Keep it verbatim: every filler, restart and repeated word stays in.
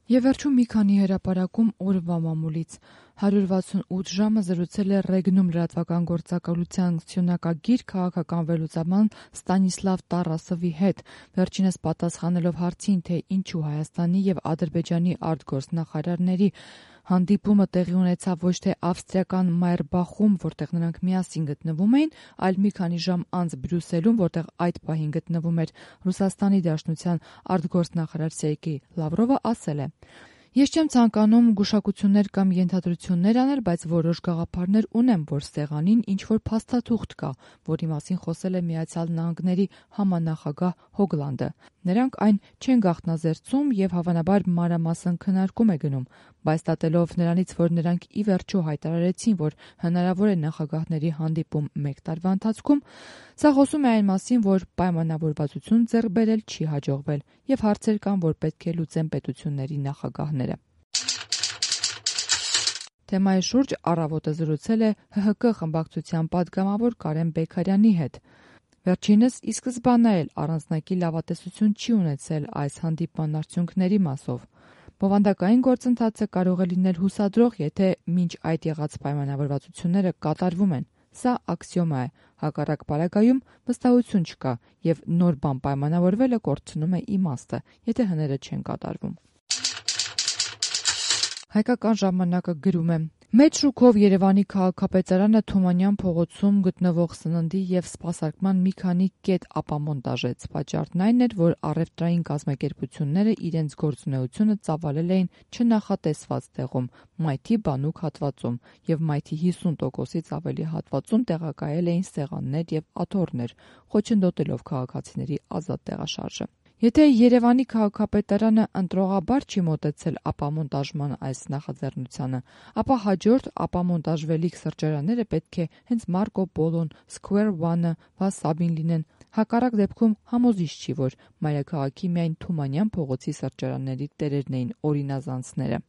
Եվ վերջում մի քանի հրապարակում օրվա մամուլից։ հարյուր վաթսունութ ժամը զրուցել է Ռեգնում լրատվական գործակալության սյոնակագիր քաղաքական վերլուծաբան Ստանիսլավ Տարասովի հետ, վերջինս պատասխանելով հարցին, թե ինչու Հայաստանի եւ Ադրբեջանի արտգործնախարարների հանդիպումը տեղի ունեցավ ոչ թե ավստրիական Մայերբախում, որտեղ նրանք միասին գտնվում էին, այլ մի քանի ժամ անց Բրյուսելում, որտեղ այդ պահին գտնվում էր Ռուսաստանի Դաշնության արտգործնախարար Սերգեյ Լավրովը, ասել է. «Ես չեմ ցանկանում գուշակություններ կամ ենթադրություններ անել, բայց որոշ գաղափարներ ունեմ, որ սեղանին ինչ-որ փաստաթուղթ կա, որի մասին խոսել է Միացյալ Նահանգների համանախագահ Հոգլանդը։ Նրանք այն չեն գաղտնազերծում եւ հավանաբար մանրամասն քննարկում է գնում, բայց դատելով նրանից, որ նրանք ի վերջո հայտարարեցին, որ հնարավոր է նախագահների հանդիպում մեկ տարվա ընթացքում, սա խոսում է այն մասին, որ պայմանավորվածություն ձեռք բերել չի հաջողվել եւ հարցեր կան, որ պետք է լուծեն պետությունների նախագահները»։ Թեմայի շուրջ «Առավոտը» զրուցել է Հ Հ Կ խմբակցության պատգամավոր Կարեն Բեգարյանի հետ։ Վերջինս ի սկզբանե էլ առանձնակի լավատեսություն չի ունեցել այս հանդիպման արդյունքների մասով։ Բովանդակային գործընթացը կարող է լինել հուսադրող, եթե մինչ այդ եղած պայմանավորվածությունները կատարվում են։ Սա աքսիոմա է, հակառակ պարագայում վստահություն չկա եւ նոր բան պայմանավորվելը կորցնում է իմաստը, եթե հները չեն կատարվում։ Հայկական ժամանակը գրում է. «Մեծ շուկով Երևանի քաղաքապետարանը Թումանյան փողոցում գտնվող սննդի եւ սպասարկման մի քանի կետ ապամոնտաժեց։ Պատճառն այն էր, որ առևտրային կազմակերպությունները իրենց գործունեությունը ծավալել էին չնախատեսված տեղում՝ մայթի բանուկ հատվածում, եւ մայթի հիսուն տոկոսից ավելի հատվածում տեղակայել էին սեղաններ եւ աթոռներ՝ խոչընդոտելով քաղաքացիների ազատ տեղաշարժը։ Եթե Երևանի քաղաքապետարանը ընտրողաբար չի մոտեցել ապամոնտաժման այս նախաձեռնությանը, ապա հաջորդ ապամոնտաժվելիք սրճարանները պետք է հենց Մարկո Պոլոն, Square One-ը, Վասաբին լինեն։ Հակառակ դեպքում համոզիչ չի, որ մայրաքաղաքի միայն Թումանյան փողոցի սրճարանների տերերն էին օրինազանցները»։